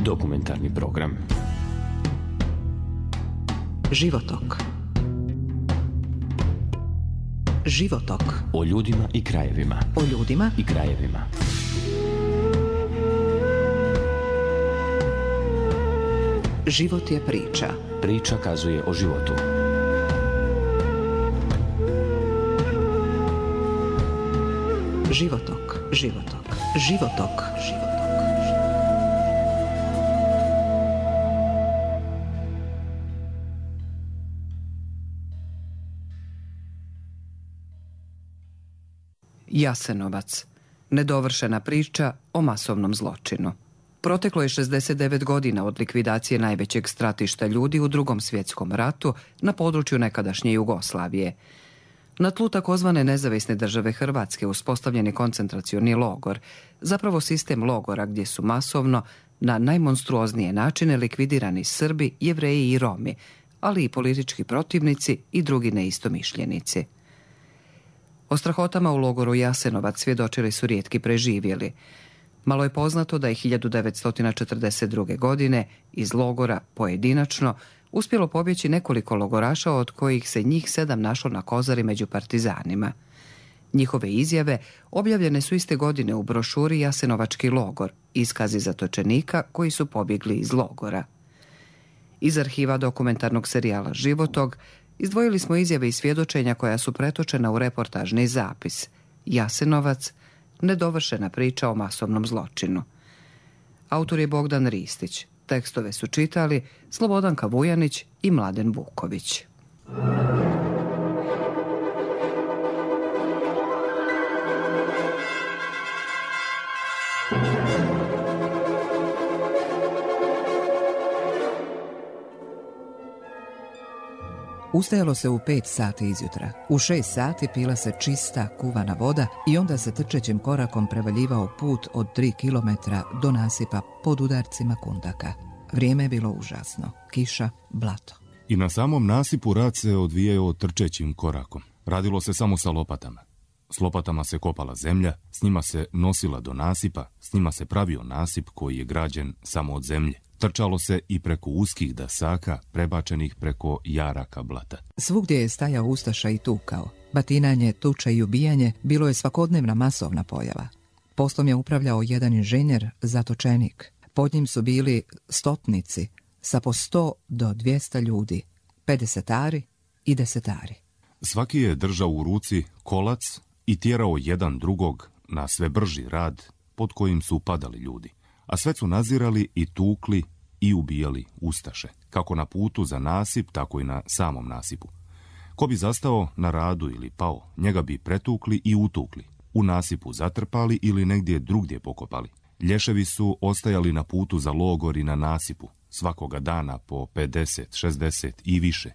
Dokumentarni program. Životok. Životok. O ljudima i krajevima. O ljudima i krajevima. Život je priča. Priča kazuje o životu. Životok. Životok. Životok. Životok. Jasenovac. Nedovršena priča o masovnom zločinu. Proteklo je 69 godina od likvidacije najvećeg stratišta ljudi u Drugom svjetskom ratu na području nekadašnje Jugoslavije. Na tlu takozvane nezavisne države Hrvatske uspostavljen je koncentracioni logor, zapravo sistem logora gdje su masovno, na najmonstruoznije načine likvidirani Srbi, Jevreji i Romi, ali i politički protivnici i drugi neistomišljenici. O strahotama u logoru Jasenovac svjedočili su rijetki preživjeli. Malo je poznato da je 1942. godine iz logora pojedinačno uspjelo pobjeći nekoliko logoraša, od kojih se njih 7 našlo na Kozari među partizanima. Njihove izjave objavljene su iste godine u brošuri Jasenovački logor, iskazi zatočenika koji su pobjegli iz logora. Iz arhiva dokumentarnog serijala Životog izdvojili smo izjave i svjedočenja koja su pretočena u reportažni zapis Jasenovac, nedovršena priča o masovnom zločinu. Autor je Bogdan Ristić. Tekstove su čitali Slobodanka Vujanić i Mladen Vuković. Ustajalo se u 5 sati izjutra. U 6 sati pila se čista, kuvana voda i onda se trčećim korakom prevaljivao put od 3 kilometra do nasipa pod udarcima kundaka. Vrijeme je bilo užasno. Kiša, blato. I na samom nasipu rad se odvijao trčećim korakom. Radilo se samo sa lopatama. S lopatama se kopala zemlja, s njima se nosila do nasipa, s njima se pravio nasip koji je građen samo od zemlje. Trčalo se i preko uskih dasaka, prebačenih preko jaraka blata. Svugdje je stajao ustaša i tukao. Batinanje, tuča i ubijanje bilo je svakodnevna masovna pojava. Poslom je upravljao jedan inženjer, zatočenik. Pod njim su bili stotnici sa po 100 do 200 ljudi, 50-ari i 10-ari. Svaki je držao u ruci kolac i tjerao jedan drugog na sve brži rad pod kojim su padali ljudi. A sve su nazirali i tukli i ubijali ustaše, kako na putu za nasip, tako i na samom nasipu. Ko bi zastao na radu ili pao, njega bi pretukli i utukli, u nasipu zatrpali ili negdje drugdje pokopali. Lješevi su ostajali na putu za logor i na nasipu, svakoga dana po 50, 60 i više.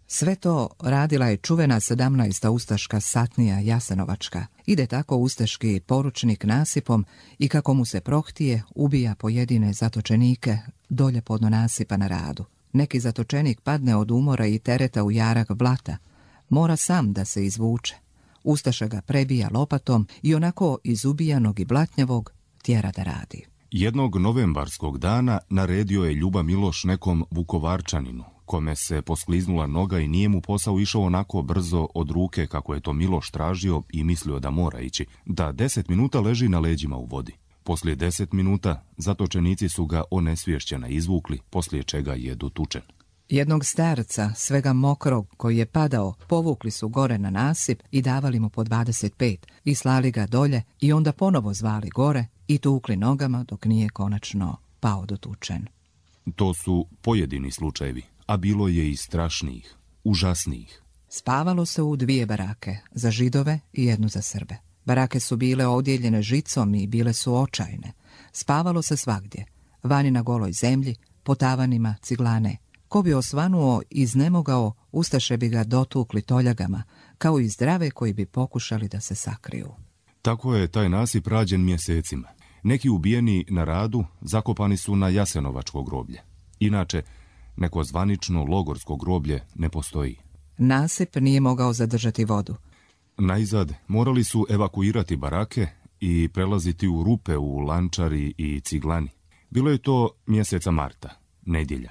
Sve to radila je čuvena 17. ustaška satnija Jasenovačka. Ide tako ustaški poručnik nasipom i kako mu se prohtije, ubija pojedine zatočenike dolje podno nasipa na radu. Neki zatočenik padne od umora i tereta u jarak blata. Mora sam da se izvuče. Ustaša ga prebija lopatom i onako iz ubijanog i blatnjavog tjera da radi. Jednog novembarskog dana naredio je Ljuba Miloš nekom Vukovarčaninu, kome se poskliznula noga i nije mu posao išao onako brzo od ruke kako je to Miloš tražio i mislio da mora ići, da 10 minuta leži na leđima u vodi. Poslije 10 minuta zatočenici su ga onesvješćena izvukli, poslije čega je dotučen. Jednog starca, svega mokrog, koji je padao, povukli su gore na nasip i davali mu po 25 i slali ga dolje i onda ponovo zvali gore i tukli nogama dok nije konačno pao dotučen. To su pojedini slučajevi, a bilo je i strašnijih, užasnijih. Spavalo se u 2 barake, za Židove i 1 za Srbe. Barake su bile odjeljene žicom i bile su očajne. Spavalo se svagdje, vani na goloj zemlji, po tavanima ciglane. Ko bi osvanuo i iznemogao, ustaše bi ga dotukli toljagama, kao i zdrave koji bi pokušali da se sakriju. Tako je taj nasip rađen mjesecima. Neki ubijeni na radu zakopani su na Jasenovačko groblje. Inače, neko zvanično logorsko groblje ne postoji. Nasip nije mogao zadržati vodu. Najzad morali su evakuirati barake i prelaziti u rupe u Lančari i Ciglani. Bilo je to mjeseca marta, nedjelja.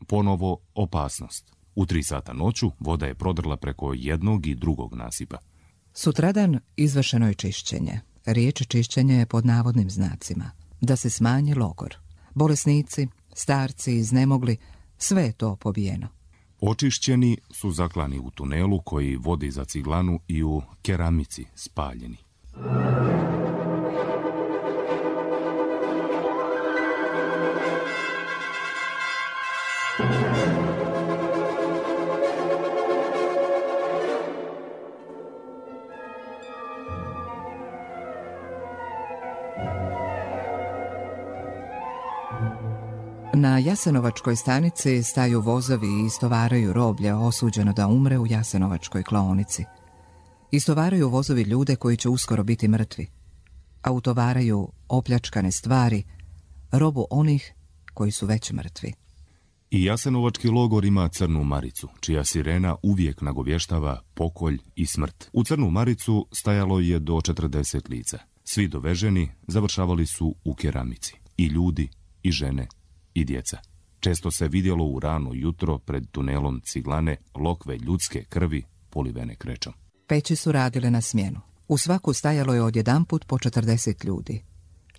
Ponovo opasnost. U 3 sata noću voda je prodrla preko jednog i drugog nasipa. Sutradan izvršeno je čišćenje. Riječ čišćenje je pod navodnim znacima. Da se smanji logor. Bolesnici, starci, iznemogli, sve je to pobijeno. Očišćeni su zaklani u tunelu koji vodi za Ciglanu i u Keramici spaljeni. Na Jasenovačkoj stanici staju vozovi i istovaraju roblje osuđeno da umre u Jasenovačkoj klaonici. Istovaraju vozovi ljude koji će uskoro biti mrtvi, a utovaraju opljačkane stvari, robu onih koji su već mrtvi. I Jasenovački logor ima crnu maricu, čija sirena uvijek nagovještava pokolj i smrt. U crnu maricu stajalo je do 40 lica. Svi doveženi završavali su u Keramici. I ljudi, i žene, i djeca. Često se vidjelo u rano jutro pred tunelom Ciglane lokve ljudske krvi polivene krečom. Peći su radile na smjenu. U svaku stajalo je odjedanput po 40 ljudi.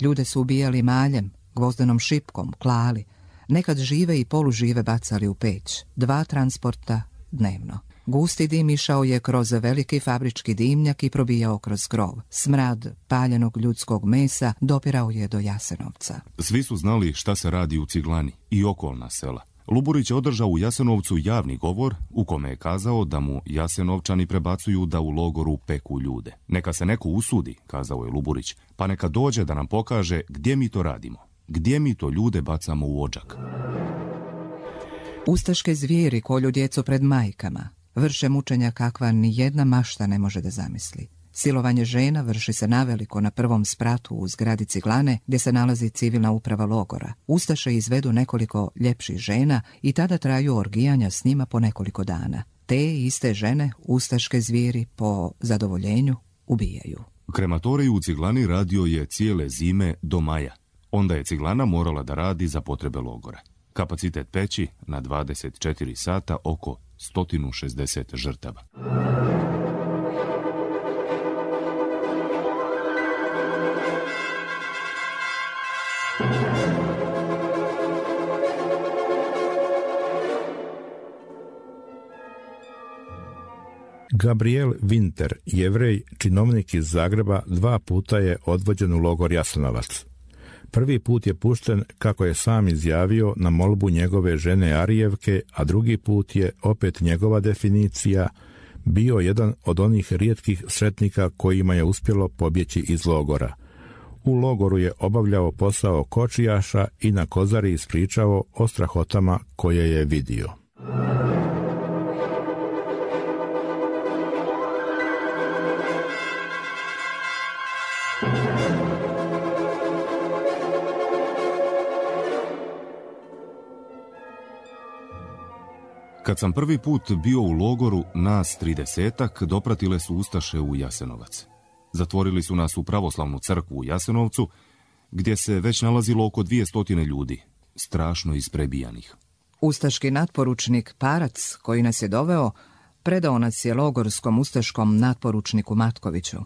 Ljude su ubijali maljem, gvozdenom šipkom, klali. Nekad žive i polužive bacali u peć. 2 transporta dnevno. Gusti dim išao je kroz veliki fabrički dimnjak i probijao kroz krov. Smrad paljenog ljudskog mesa dopirao je do Jasenovca. Svi su znali šta se radi u Ciglani i okolna sela. Luburić je održao u Jasenovcu javni govor u kome je kazao da mu Jasenovčani prebacuju da u logoru peku ljude. Neka se neko usudi, kazao je Luburić, pa neka dođe da nam pokaže gdje mi to radimo. Gdje mi to ljude bacamo u odžak. Ustaške zvijeri kolju djecu pred majkama. Vrše mučenja kakva ni jedna mašta ne može da zamisli. Silovanje žena vrši se naveliko na prvom spratu u zgradi Ciglane gdje se nalazi civilna uprava logora. Ustaše izvedu nekoliko ljepših žena i tada traju orgijanja s njima po nekoliko dana. Te iste žene ustaške zvijeri po zadovoljenju ubijaju. Krematorij u Ciglani radio je cijele zime do maja. Onda je Ciglana morala da radi za potrebe logora. Kapacitet peći na 24 sata oko 160 žrtava. Gabriel Winter, Jevrej, činovnik iz Zagreba, 2 puta je odvođen u logor Jasenovac. Prvi put je pušten, kako je sam izjavio, na molbu njegove žene Arijevke, a drugi put je, opet njegova definicija, bio jedan od onih rijetkih sretnika kojima je uspjelo pobjeći iz logora. U logoru je obavljao posao kočijaša i na Kozari ispričao o strahotama koje je vidio. Kad sam prvi put bio u logoru, nas 30-ak dopratile su ustaše u Jasenovac. Zatvorili su nas u pravoslavnu crkvu u Jasenovcu, gdje se već nalazilo oko 200 ljudi, strašno isprebijanih. Ustaški natporučnik Parac, koji nas je doveo, predao nas je logorskom ustaškom natporučniku Matkoviću.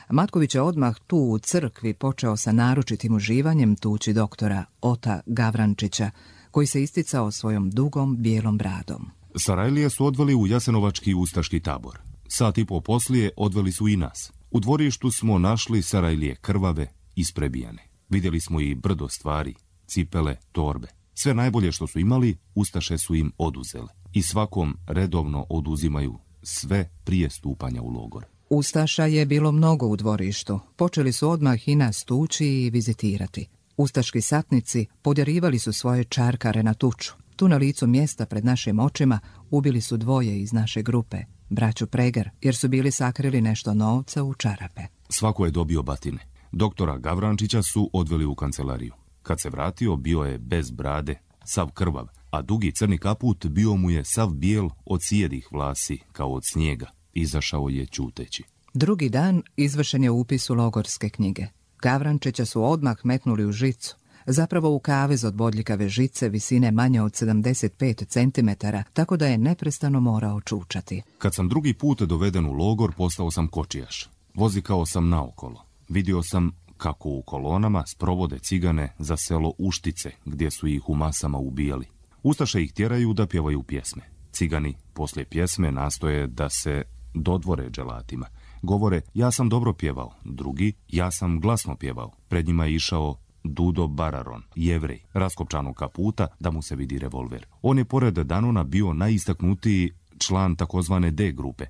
Matković je odmah tu u crkvi počeo sa naročitim uživanjem tući doktora Ota Gavrančića, koji se isticao svojom dugom bijelom bradom. Sarajlije su odveli u Jasenovački ustaški tabor. Sat i po poslije odveli su i nas. U dvorištu smo našli Sarajlije krvave, isprebijane. Vidjeli smo i brdo stvari, cipele, torbe. Sve najbolje što su imali, ustaše su im oduzele. I svakom redovno oduzimaju sve prije stupanja u logor. Ustaša je bilo mnogo u dvorištu. Počeli su odmah i nas tući i vizitirati. Ustaški satnici podjarivali su svoje čarkare na tuču. Tu na licu mjesta pred našim očima ubili su 2 iz naše grupe, braću Preger, jer su bili sakrili nešto novca u čarape. Svako je dobio batine. Doktora Gavrančića su odveli u kancelariju. Kad se vratio, bio je bez brade, sav krvav, a dugi crni kaput bio mu je sav bijel od sjedih vlasi, kao od snijega. Izašao je ćuteći. Drugi dan izvršen je upis u logorske knjige. Gavrančića su odmah metnuli u žicu. zapravo u kavez od bodljikave žice visine manje od 75 cm, tako da je neprestano morao čučati. Kad sam drugi put doveden u logor, postao sam kočijaš. Vozikao sam naokolo. Vidio sam kako u kolonama sprovode cigane za selo Uštice, gdje su ih u masama ubijali. Ustaše ih tjeraju da pjevaju pjesme. Cigani poslije pjesme nastoje da se dodvore dželatima. Govore, ja sam dobro pjevao. Drugi, ja sam glasno pjevao. Pred njima je išao Dudo Bararon, Jevrej, raskopčanog kaputa da mu se vidi revolver. On je pored Danona bio najistaknutiji član takozvane D grupe,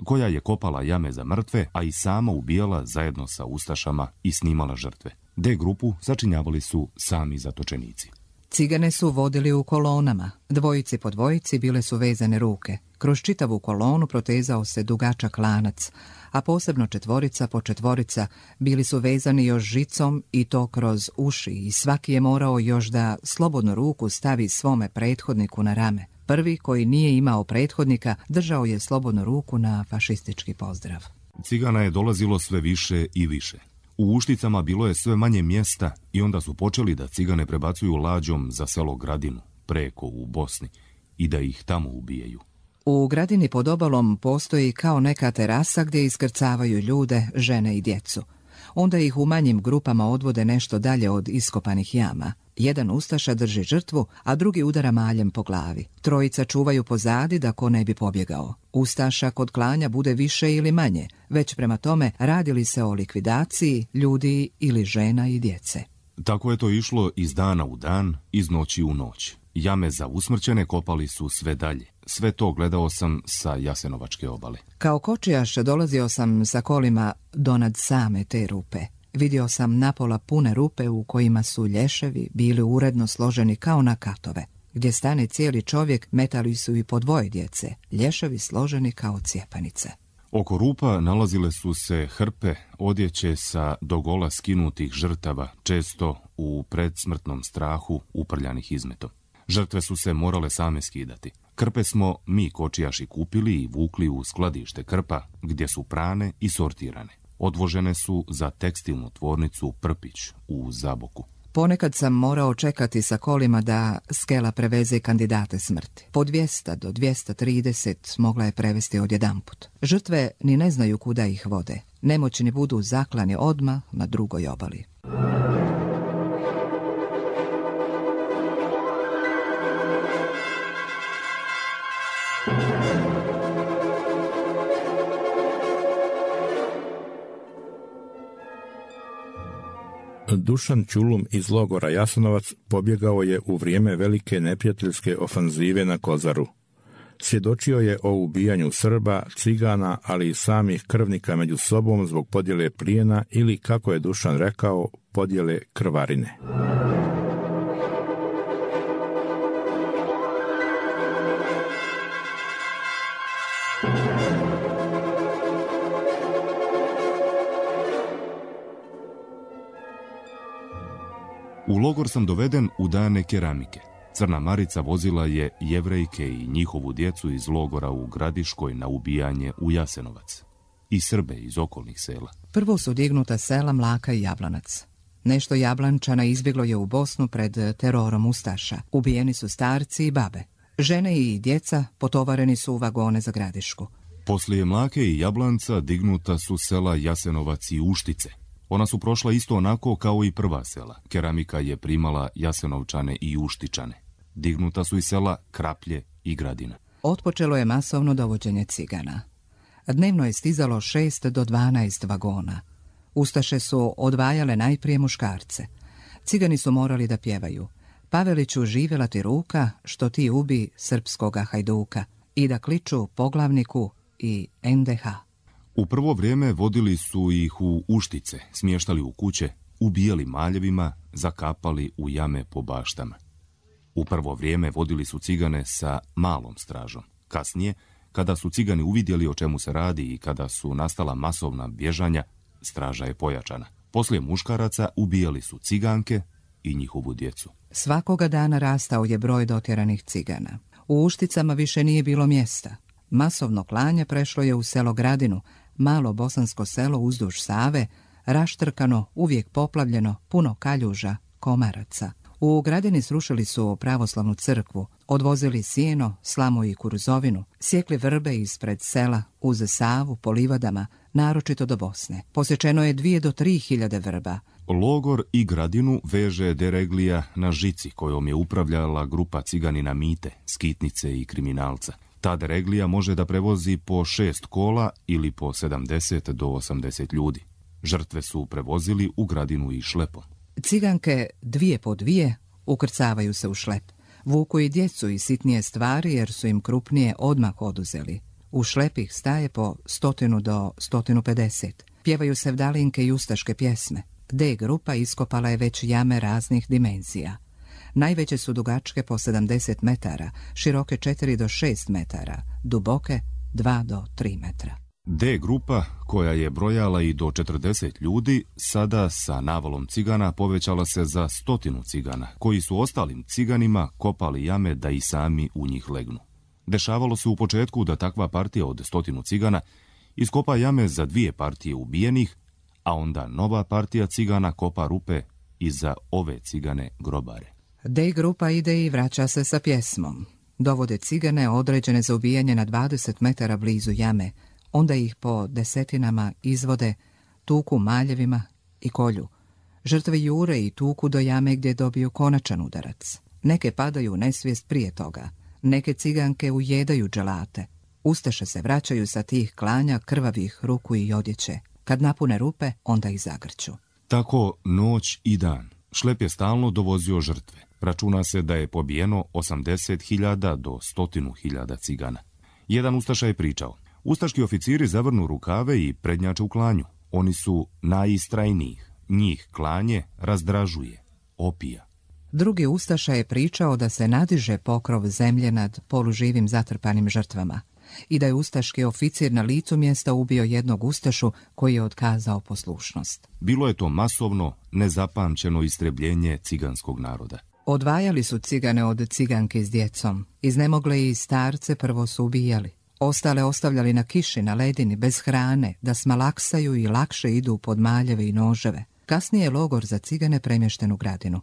koja je kopala jame za mrtve, a i sama ubijala zajedno sa ustašama i snimala žrtve. D grupu začinjavali su sami zatočenici. Cigane su vodili u kolonama. Dvojici po dvojici bile su vezane ruke. Kroz čitavu kolonu protezao se dugačak lanac, a posebno četvorica po četvorica bili su vezani još žicom i to kroz uši i svaki je morao još da slobodnu ruku stavi svome prethodniku na rame. Prvi, koji nije imao prethodnika, držao je slobodnu ruku na fašistički pozdrav. Cigana je dolazilo sve više i više. U Ušticama bilo je sve manje mjesta i onda su počeli da cigane prebacuju lađom za selo Gradinu, preko u Bosni, i da ih tamo ubijaju. U Gradini pod obalom postoji kao neka terasa gdje iskrcavaju ljude, žene i djecu. Onda ih u manjim grupama odvode nešto dalje od iskopanih jama. Jedan ustaša drži žrtvu, a drugi udara maljem po glavi. Trojica čuvaju pozadi da ko ne bi pobjegao. Ustaša kod klanja bude više ili manje, već prema tome radi li se o likvidaciji ljudi ili žena i djece. Tako je to išlo iz dana u dan, iz noći u noć. Jame za usmrćene kopali su sve dalje. Sve to gledao sam sa Jasenovačke obale. Kao kočijaš dolazio sam sa kolima donad same te rupe. Vidio sam napola pune rupe u kojima su lješevi bili uredno složeni kao na katove. Gdje stane cijeli čovjek, metali su i po dvoje djece, lješevi složeni kao cijepanice. Oko rupa nalazile su se hrpe odjeće sa dogola skinutih žrtava, često u predsmrtnom strahu uprljanih izmetom. Žrtve su se morale same skidati. Krpe smo mi kočijaši kupili i vukli u skladište krpa, gdje su prane i sortirane. Odvožene su za tekstilnu tvornicu Prpić u Zaboku. Ponekad sam morao čekati sa kolima da skela preveze kandidate smrti. Po 200 do 230 mogla je prevesti odjedanput. Žrtve ni ne znaju kuda ih vode. Nemoćni budu zaklani odmah na drugoj obali. Dušan Ćulum iz logora Jasenovac pobjegao je u vrijeme velike neprijateljske ofanzive na Kozaru. Svjedočio je o ubijanju Srba, cigana, ali i samih krvnika među sobom zbog podjele plijena ili, kako je Dušan rekao, podjele krvarine. U logor sam doveden u dane keramike. Crna Marica vozila je Jevrejke i njihovu djecu iz logora u Gradiškoj na ubijanje u Jasenovac i Srbe iz okolnih sela. Prvo su dignuta sela Mlaka i Jablanac. Nešto Jablančana izbjeglo je u Bosnu pred terorom ustaša. Ubijeni su starci i babe. Žene i djeca potovareni su u vagone za Gradišku. Poslije Mlake i Jablanca dignuta su sela Jasenovac i Uštice. Ona su prošla isto onako kao i prva sela. Keramika je primala Jasenovčane i Uštičane. Dignuta su i sela Kraplje i Gradina. Otpočelo je masovno dovođenje cigana. Dnevno je stizalo 6 do 12 vagona. Ustaše su odvajale najprije muškarce. Cigani su morali da pjevaju: Paveliću, živjela ti ruka, što ti ubi srpskoga hajduka, i da kliču poglavniku i NDH. U prvo vrijeme vodili su ih u Uštice, smještali u kuće, ubijali maljevima, zakapali u jame po baštama. U prvo vrijeme vodili su cigane sa malom stražom. Kasnije, kada su cigani uvidjeli o čemu se radi i kada su nastala masovna bježanja, straža je pojačana. Poslije muškaraca ubijali su ciganke i njihovu djecu. Svakoga dana rastao je broj dotjeranih cigana. U Ušticama više nije bilo mjesta. Masovno klanje prešlo je u selo Gradinu, malo bosansko selo uzduž Save, raštrkano, uvijek poplavljeno, puno kaljuža, komaraca. U Gradini srušili su pravoslavnu crkvu, odvozili sijeno, slamu i kuruzovinu, sjekli vrbe ispred sela uz Savu po livadama, naročito do Bosne. Posječeno je 2 do 3 hiljade vrba. Logor i Gradinu veže Dereglija na žici kojom je upravljala grupa ciganina Mite, skitnice i kriminalca. Ta Dereglija može da prevozi po 6 kola ili po 70 do 80 ljudi. Žrtve su prevozili u Gradinu i šlepom. Ciganke 2 po 2 ukrcavaju se u šlep. Vuku i djecu i sitnije stvari jer su im krupnije odmah oduzeli. U šlep ih staje po 100 do 150. Pjevaju sevdalinke i ustaške pjesme. D grupa iskopala je već jame raznih dimenzija. Najveće su dugačke po 70 metara, široke 4 do 6 metara, duboke 2 do 3 metra. D grupa, koja je brojala i do 40 ljudi, sada sa navalom cigana povećala se za 100 cigana, koji su ostalim ciganima kopali jame da i sami u njih legnu. Dešavalo se u početku da takva partija od 100 cigana iskopa jame za 2 partije ubijenih, a onda nova partija cigana kopa rupe i za ove cigane grobare. D grupa ide i vraća se sa pjesmom. Dovode cigane određene za ubijanje na 20 metara blizu jame, onda ih po desetinama izvode, tuku maljevima i kolju. Žrtve jure i tuku do jame gdje dobiju konačan udarac. Neke padaju u nesvijest prije toga. Neke ciganke ujedaju dželate. Ustaše se vraćaju sa tih klanja krvavih ruku i odjeće. Kad napune rupe, onda ih zagrću. Tako noć i dan. Šlep je stalno dovozio žrtve. Računa se da je pobijeno 80.000 do 100.000 cigana. Jedan ustaša je pričao: ustaški oficiri zavrnu rukave i prednjače u klanju. Oni su najistrajnijih. Njih klanje razdražuje, opija. Drugi ustaša je pričao da se nadiže pokrov zemlje nad poluživim zatrpanim žrtvama i da je ustaški oficir na licu mjesta ubio jednog ustašu koji je otkazao poslušnost. Bilo je to masovno, nezapamćeno istrebljenje ciganskog naroda. Odvajali su cigane od ciganke s djecom. Iznemogle i starce prvo su ubijali. Ostale ostavljali na kiši, na ledini, bez hrane, da smalaksaju i lakše idu pod maljeve i noževe. Kasnije je logor za cigane premješten u Gradinu.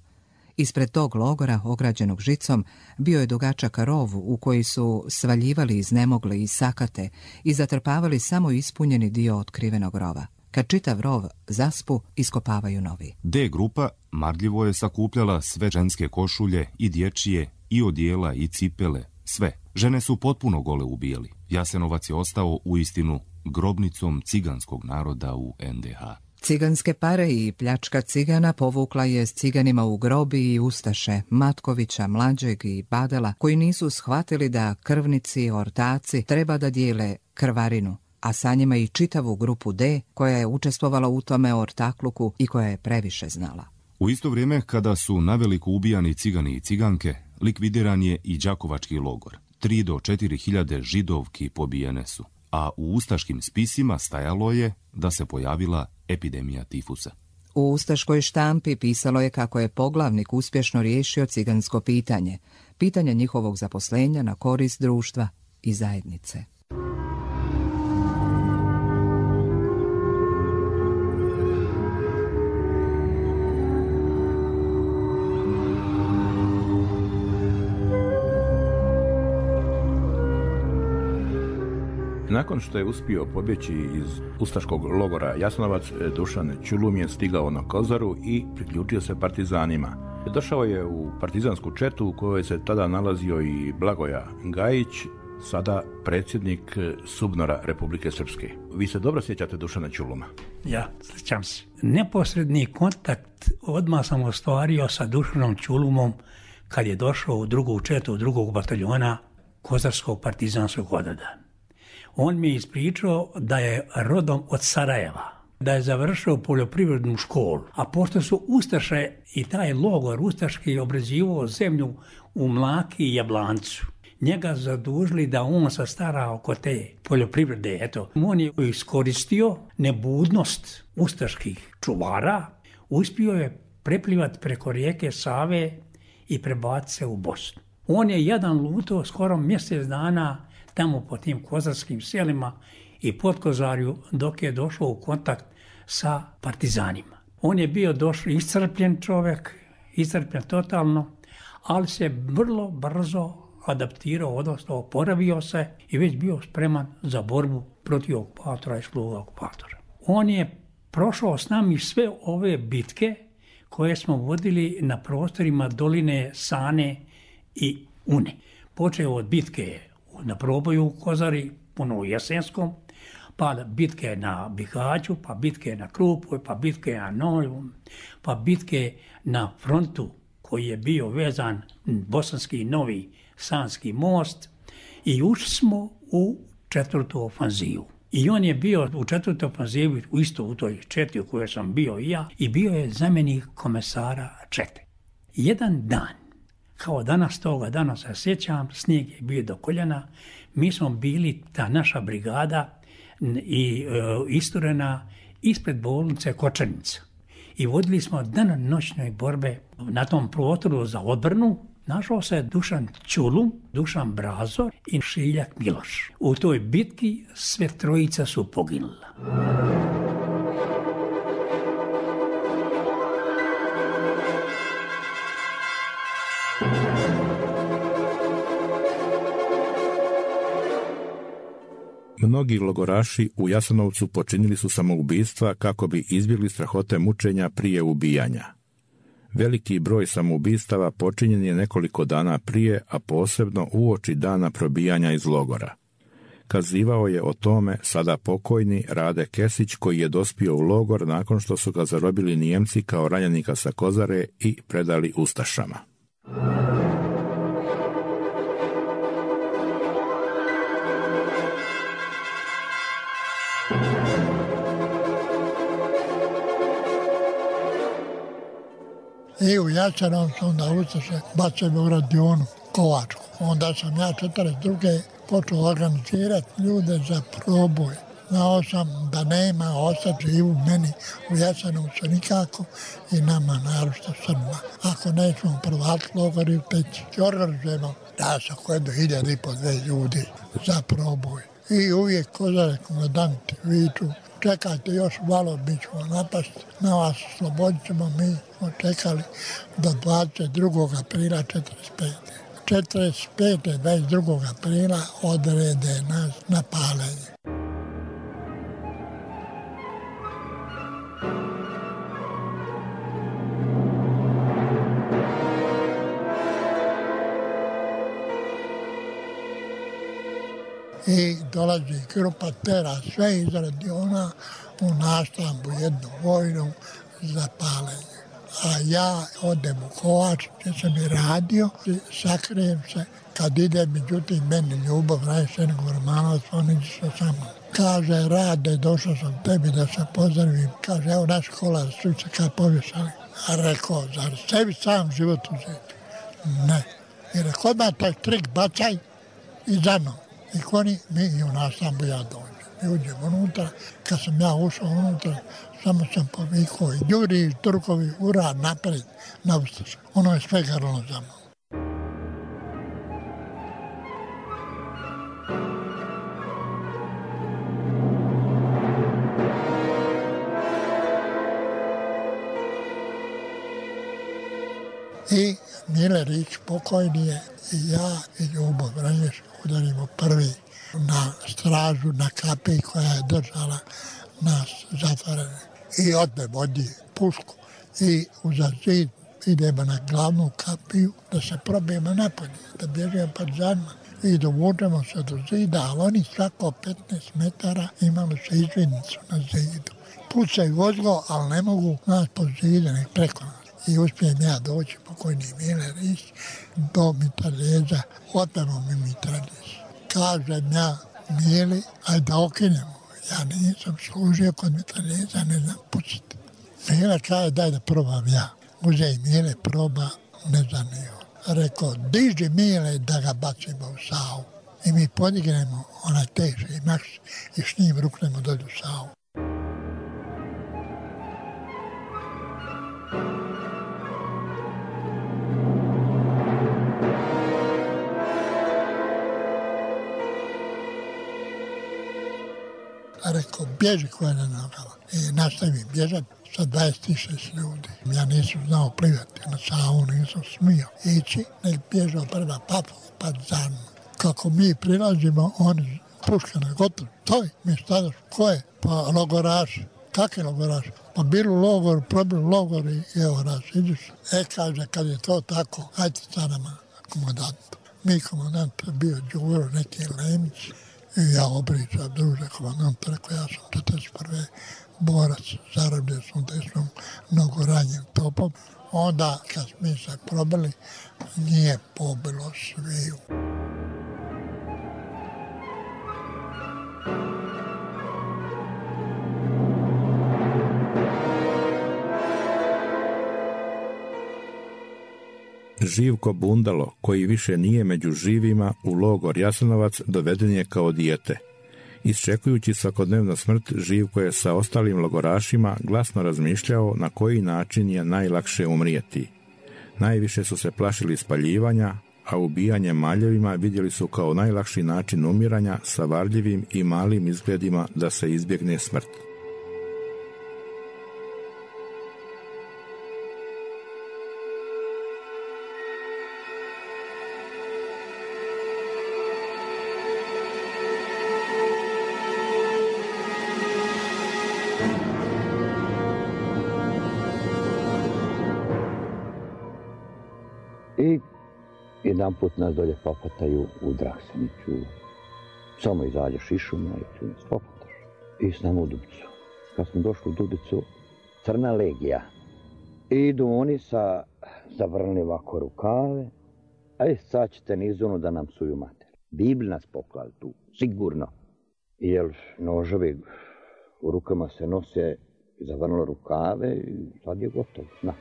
Ispred tog logora, ograđenog žicom, bio je dugačak rov u koji su svaljivali iznemogle i sakate i zatrpavali samo ispunjeni dio otkrivenog rova. Kad čitav rov zaspu, iskopavaju novi. D grupa marljivo je sakupljala sve ženske košulje i dječje, i odijela, i cipele, sve. Žene su potpuno gole ubijali. Jasenovac je ostao uistinu grobnicom ciganskog naroda u NDH. Ciganske pare i pljačka cigana povukla je s ciganima u grobi i ustaše Matkovića, Mlađeg i Badela, koji nisu shvatili da krvnici, ortaci treba da dijele krvarinu, a sa njima i čitavu grupu D koja je učestvovala u tome ortakluku i koja je previše znala. U isto vrijeme kada su naveliko ubijani cigani i ciganke, likvidiran je i đakovački logor. 3 do 4 hiljade židovki pobijene su, a u ustaškim spisima stajalo je da se pojavila epidemija tifusa. U ustaškoj štampi pisalo je kako je poglavnik uspješno riješio cigansko pitanje, pitanje njihovog zaposlenja na korist društva i zajednice. Nakon što je uspio pobjeći iz ustaškog logora Jasenovac, Dušan Ćulum je stigao na Kozaru i priključio se partizanima. Došao je u partizansku četu u kojoj se tada nalazio i Blagoja Gajić, sada predsjednik SUBNOR-a Republike Srpske. Vi se dobro sjećate Dušana Ćuluma? Ja, sjećam se. Neposredni kontakt odmah sam ostvario sa Dušanom Ćulumom kad je došao u drugu četu, drugog bataljona Kozarskog partizanskog odreda. On mi je ispričao da je rodom od Sarajeva, da je završio poljoprivrednu školu, a pošto su ustaše i taj logor ustaški obrađivao zemlju u Mlaki i Jablancu, njega zadužili da on se stara oko te poljoprivrede. Eto, on je iskoristio nebudnost ustaških čuvara, uspio je preplivati preko rijeke Save i prebaciti se u Bosnu. On je jedan lutao skoro mjesec dana tamo po tim kozarskim selima i Podkozarju dok je došao u kontakt sa partizanima. On je bio iscrpljen čovjek, iscrpljen totalno, ali se vrlo brzo adaptirao, odnosno oporavio se i već bio spreman za borbu protiv okupatora i sluga okupatora. On je prošao s nami sve ove bitke koje smo vodili na prostorima doline Sane i Une. Počeo od bitke na Proboju u Kozari, puno u Jesenskom, pa bitke na Bihaću, pa bitke na Krupoj, pa bitke na Noju, pa bitke na frontu koji je bio vezan Bosanski Novi Sanski most i ušli smo u 4. ofanzivu. I on je bio u 4. ofanzivi, isto u toj četi u kojoj sam bio i ja, i bio je zamjenik komesara čete. Jedan dan, kao danas toga dana se sjećam, snijeg je bio do koljena, mi smo bili, ta naša brigada i isturena ispred bolnice Kočanica. I vodili smo danonoćne borbe na tom prostoru za odbranu. Našao se Dušan Ćulum, Dušan Brazor i Šiljak Miloš. U toj bitki sve trojica su poginula. Mnogi logoraši u Jasenovcu počinili su samoubistva kako bi izbjegli strahote mučenja prije ubijanja. Veliki broj samoubistava počinjen je nekoliko dana prije, a posebno uoči dana probijanja iz logora. Kazivao je o tome sada pokojni Rade Kesić, koji je dospio u logor nakon što su ga zarobili Nijemci kao ranjenika sa Kozare i predali ustašama. I u Jasenovcu onda ustaše bacaju u radionu Kovačku. Onda sam ja 42. počeo organizirati ljude za proboj. Znao sam da nema ostati živu meni u Jasenovcu nikako i nama naročito Srbima. Ako nećemo prvati logori u Peći, organizujemo da se kojedu 1.500 ljudi za proboj. I uvijek Kozare komandanti viču, čekajte još malo, mi ćemo napasti, na vas slobodit ćemo, mi smo čekali do 22. aprila 45. 45. 22. aprila odrede nas na paljenje. I dolazi grupa tera sve iz radiona u Naštambu, jednu vojnu za paljenje. A ja odem u Kovač, gdje sam i radio, sakrijem se. Kad ide, međutim, meni Ljubav, Rajšenik Romanovac, on iđe sa mnom. Kaže, Rade, došao sam tebi da se pozdravim. Kaže, evo naš kolar, svi se kao povješali. A rekao, zar sebi sam život uzeti? Ne. I rekao, odmah taj trik bacaj i za mnom. I koni, mi i u Naštambu ja dođem. I uđem unutra. Kad sam ja ušao unutra, samo sam povikao i Đuri, Turkovi, ura, napred, na ustaša. Ono je sve grlo za mnom. I Mile Rić pokojni je i ja i Ljubav Ranješ udarimo prvi na stražu, na kapiji koja je držala nas zatvorene. I odme vodi pušku i uza zid idemo na glavnu kapiju da se probijemo napolje, da bježimo partizanima. I dovučemo se do zida, ali oni svako 15 metara imali su izvidnicu na zidu. Pucaju vozilo, ali ne mogu nas po zidu, nek preko nas. I uspijem ja doći, pokojni Mile Rić, do mitraljeza, otmemo mi mitraljez. Kažem ja Mili, ajde da okinemo. Ja nisam služio kod mitraljeza, ne znam puciti. Mile kaže, daj da probam ja. Uze i Mile proba, ne znam ni on. Rekao, diži Mile da ga bacimo u Savu. I mi podignemo onaj teži maks i s njim ruknemo dolje u Savu. rekao, bježi koje na nogama. I nastavim bježati sa 26 ljudi. Ja nisam znao plivati na Savu, nisam smio ići, nek bježao prema Papu, pa za mnom. Kako mi prilazimo, oni puške na gotovo. Stoj, mi stadaš, ko je? Pa logoraši. Kakvi logoraši? Pa bili u logoru, probili logor i evo nas, vidiš. Kaže, kad je to tako, hajte sa nama komandanta. Mi komandant bio Đuro, neki Lemić. I ja obričam, druže komandant, rekao, ja sam 41. borac, zarobljen sam desnom mnogo ranjim topom. Onda, kad mi se probili, nije pobilo sviju. Živko Bundalo, koji više nije među živima, u logor Jasenovac doveden je kao dijete. Isčekujući svakodnevnu smrt, Živko je sa ostalim logorašima glasno razmišljao na koji način je najlakše umrijeti. Najviše su se plašili spaljivanja, a ubijanje maljevima vidjeli su kao najlakši način umiranja sa varljivim i malim izgledima da se izbjegne smrt. I jedan put nas dolje popataju u Drakseniću. Samo izađeš iz šuma i tu nas popataš. I s nama u Dubicu. Kad smo došli u Dubicu, Crna legija. Idu oni sa zavrnili ovako rukave. Aj, sad ćete nizonu da nam suju mater. Bibli nas poklali tu, sigurno. Jer noževi u rukama se nose, zavrnilo rukave i sad je gotovo. Na.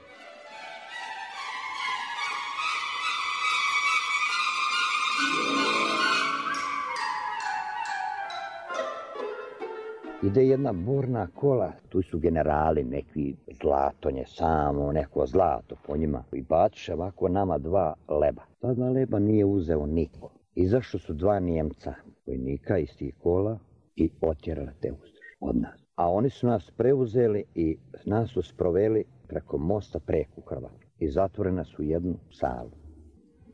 Ide jedna burna kola, tu su generali, neki zlatonje samo, neko zlato po njima. I baciše ovako nama 2 leba. Ta 2 leba nije uzeo niko. Izašli su 2 Njemca, vojnika iz tih kola i otjerali te ustaše od nas. A oni su nas preuzeli i nas su sproveli preko mosta preko Hrvatsku. I zatvorili nas u jednu salu.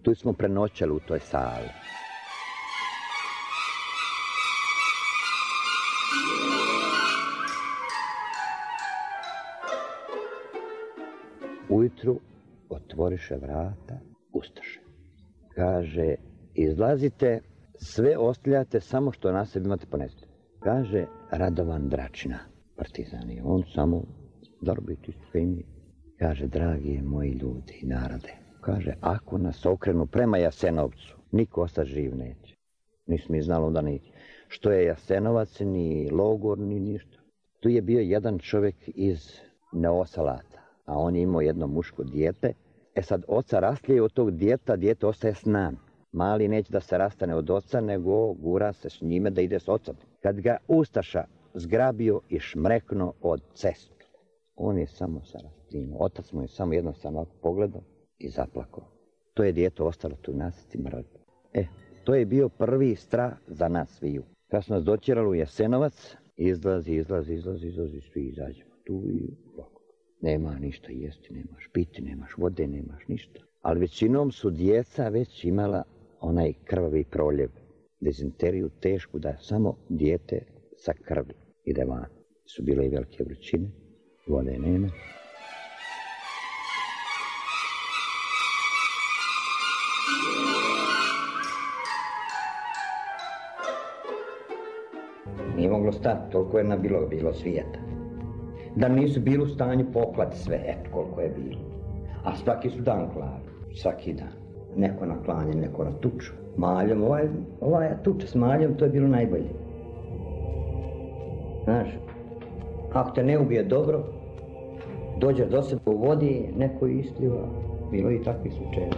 Tu smo prenoćali u toj sali. Ujutru otvoriše vrata ustaše. Kaže, izlazite, sve ostavljate, samo što na sebi imate ponesti. Kaže, Radovan Dračina, partizan je, on samo zarobiti što im je. Kaže, dragi moji ljudi i narode, kaže, ako nas okrenu prema Jasenovcu, niko ostati živ neće. Nismo znali onda ni što je Jasenovac, ni logor, ni ništa. Tu je bio jedan čovjek iz Neosalata. A on je imao jedno muško dijete. E sad, oca rastlije od tog dijeta, dijete ostaje s nam. Mali neće da se rastane od oca, nego gura se s njime da ide s ocem. Kad ga ustaša zgrabio i šmreknuo od cestu, on je samo sa rastinio. Otac mu je samo jednostavno pogledao i zaplakao. To je dijete ostalo tu nasici mrtvo. To je bio prvi strah za nas sviju. Kad su nas doćerali u Jasenovac, izlazi, svi izađemo tu i ovako. Nema ništa jesti, nemaš piti, nemaš vode, nemaš ništa. Ali većinom su djeca već imala onaj krvavi proljev, dezinteriju tešku da samo dijete sa krvi ide van. Su bile i velike vrućine, vode nema. Nije moglo stati, toliko je bilo svijeta. Da nisu bili u stanju poklati sve, koliko je bilo. A svaki su dan klali, svaki dan. Neko na klanje, neko na tuču. Maljom, ovaj tuča s maljom, to je bilo najbolje. Znaš, ako te ne ubije dobro, dođeš do sebe u vodi, neko ispliva. Bilo i takvih slučajeva.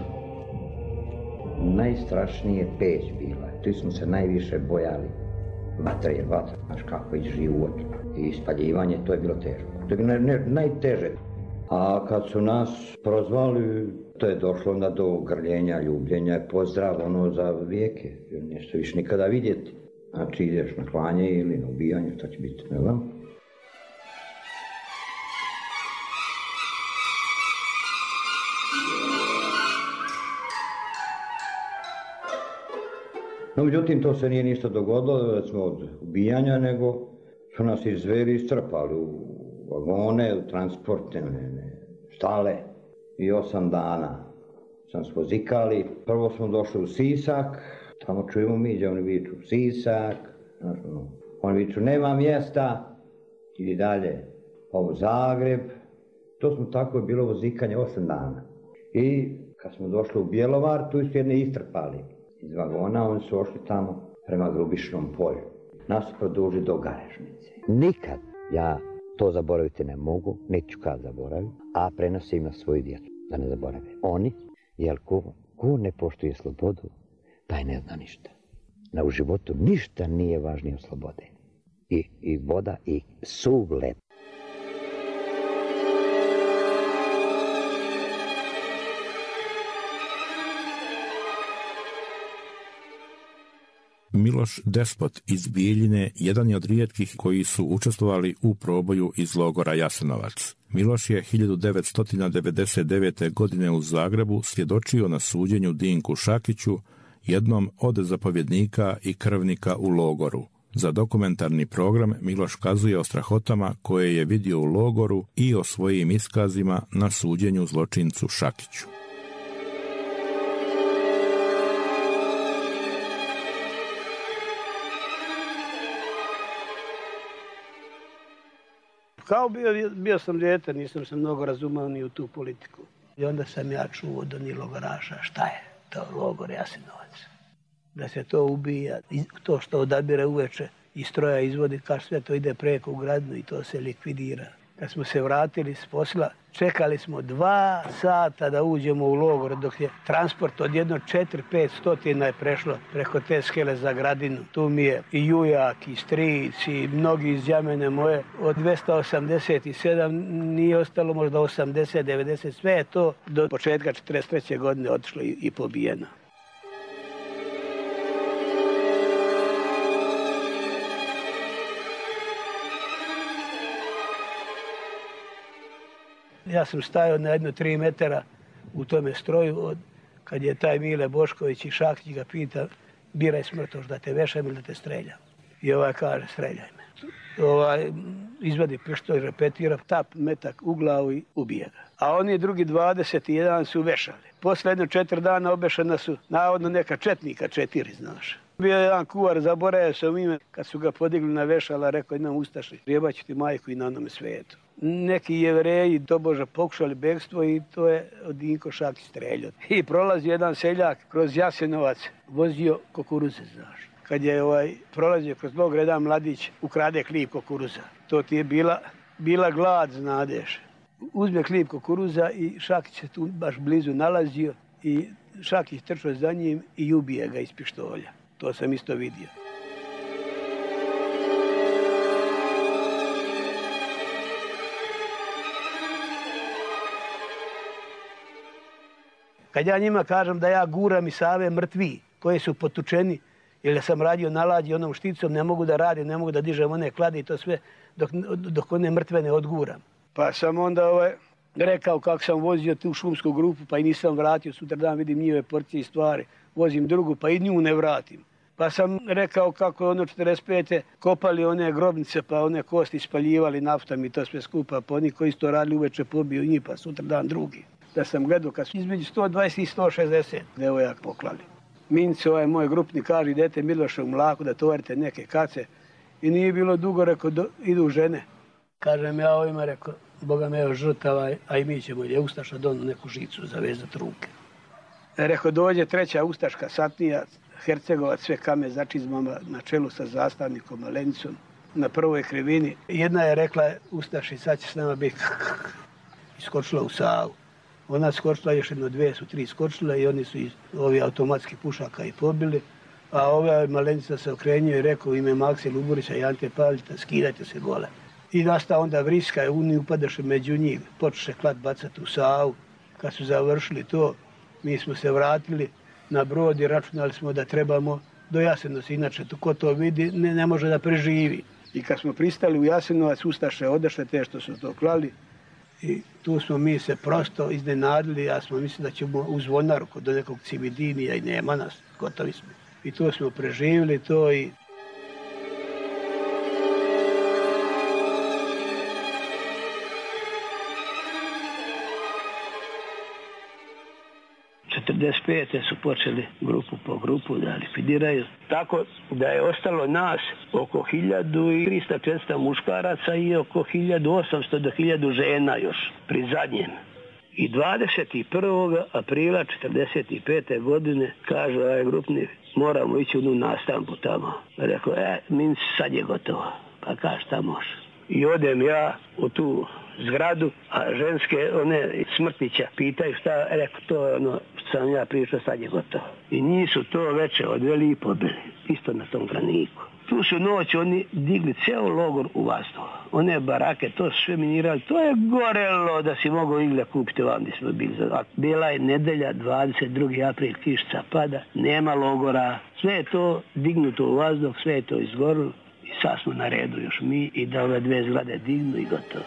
Najstrašnije peć bila, tu smo se najviše bojali. Vatra je vatra, znaš kako je život. I spaljivanje, to je bilo teško. To je bilo najteže. A kad su nas prozvali, to je došlo onda do grljenja, ljubljenja, pozdrav za vijeke. Nešto više nikada vidjeti. Znači ideš na klanje ili na ubijanje, šta će biti, ne znam. No, međutim, to se nije ništa dogodilo, recimo od ubijanja, nego su nas izveli i strpali u vagone, u transportne štale. I 8 dana sam svozikali. Prvo smo došli u Sisak, tamo čujemo mi gdje oni viču Sisak, oni viču nema mjesta, idi dalje, ovo Zagreb. To smo tako bilo vozikanje 8 dana. I kad smo došli u Bjelovar, tu su jedne istrpali iz vagona, oni su ošli tamo prema Grubišnom polju. Nas su produžili do Garežnice. Nikad ja to zaboraviti ne mogu, neću kad zaboravim, a prenosim na svoju djecu, da ne zaborave. Oni, jer ko ne poštuje slobodu, taj ne zna ništa. U životu ništa nije važnije od slobode. I voda i suv led. Miloš Despot iz Bijeljine jedan je od rijetkih koji su učestvovali u proboju iz logora Jasenovac. Miloš je 1999. godine u Zagrebu svjedočio na suđenju Dinku Šakiću, jednom od zapovjednika i krvnika u logoru. Za dokumentarni program Miloš kazuje o strahotama koje je vidio u logoru i o svojim iskazima na suđenju zločincu Šakiću. Kao bio sam dijete, nisam se mnogo razumao ni u tu politiku. I onda sam ja čuo od onih logoraša šta je to logor Jasenovac. Da se to ubija, to što odabire uveče i stroja izvodi, kao sve to ide preko u Gradnu i to se likvidira. Kad smo se vratili s posla, čekali smo 2 sata da uđemo u logor, dok je transport od 4-5 stotina je prešlo preko te skele za Gradinu. Tu mi je i Jujak, i stric, i mnogi iz Jamene moje. Od 287 nije ostalo možda 80, 90, sve je to do početka 43. godine otišlo i pobijeno. Ja sam stajao na 3 metara u tome stroju, kad je taj Mile Bošković i Šakić ga pita, biraj smrtoš, da te vešam ili da te streljam. I kaže, streljaj me. Izvadi pištolj, repetira, tap metak u glavu i ubije ga. A oni drugi 21 su vešali. Posle 4 dana obešena su navodno neka četnika 4, znaš. Bio je jedan kuvar, zaboravio sam ime, kad su ga podigli na vešala, rekao jednom ustaši, rijebaću ti majku i na onome svijetu. Neki Jevreji tobože pokušali bekstvo i to je Dinko Šakić streljao. I prolazi jedan seljak kroz Jasenovac, vozio kukuruze, znaš. Kad je prolazio kroz logor, jedan mladić ukrade klip kukuruza. To ti je bila glad, znadeš. Uzme klip kukuruza i Šakić se tu baš blizu nalazio i Šakić trčao za njim i ubije ga iz pištolja. To sam isto vidio. Kad ja njima kažem da ja guram i Save mrtvi koji su potučeni, jer sam radio na lađi onom šticom, ne mogu da radim, ne mogu da dižem one klade i to sve dok one mrtve ne odguram. Pa sam onda rekao kako sam vozio tu šumsku grupu pa i nisam vratio, sutradan vidim njihove porcije i stvari, vozim drugu pa i nju ne vratim. Pa sam rekao kako je 45. kopali one grobnice pa one kosti spaljivali naftom i to sve skupa, pa oni koji su to radili uveče pobiju njih pa sutradan drugi. Da sam gledao kad su između 120 i 160 devojak poklali. Mince, moj grupni, kaže, idete Miloše u Mlaku da tovarite neke kace. I nije bilo dugo, rekao, idu žene. Kažem ja ovima, rekao, Boga me žrtava, a i mi ćemo, je ustaša donu neku žicu zavezati ruke. Rekao, dođe 3. ustaška satnija, Hercegovac, sve kame za čizmama, na čelu sa zastavnikom Malenicom, na prvoj krivini. Jedna je rekla, ustaši, sad će s nama biti. Iskočila u Savu. Ona skočila, još 2 su 3 skočila i oni su iz ovih automatskih pušaka i pobili. A ova Malenica se okrenio i rekao u ime Makse Luburića i Ante Pavlića, skidajte se gole. I nastao onda vriska i oni upadaše među njih, počeše klad bacati u Savu. Kad su završili to, mi smo se vratili na brod i računali smo da trebamo do Jasenovca. Inače, ko to vidi, ne može da preživi. I kad smo pristali u Jasenovac, ustaše odešle te što su to klali. I tu smo mi se prosto iznenadili, ja smo mislili da ćemo u Zvonaru do nekog Cividinija i nema nas, gotovi smo. I tu smo preživjeli to i... su počeli grupu po grupu da likvidiraju. Tako da je ostalo nas oko 1300-400 muškaraca i oko 1800 do 1000 žena još pri zadnjem. I 21. aprila 1945. godine kaže ovaj grupnik, moramo ići u jednu nastavku tamo. Rekao, minci, sad je gotovo. Pa kaže, šta može? I odem ja u tu zgradu, a ženske, one Smrtića, pitaju šta, rekao, to je ono što sam ja pričao, sad je gotovo. I njih su to veče odveli i pobili, isto na tom graniku. Tu su noć oni digli cijel logor u vazduh. One barake, to su sve minirali, to je gorelo da si mogao igle kupiti vam gdje smo bili. A bila je nedelja, 22. april, kišca pada, nema logora, sve je to dignuto u vazduh, sve je to izgorilo. I sad smo na redu još mi i da ove dve zgrade dignu i gotovo.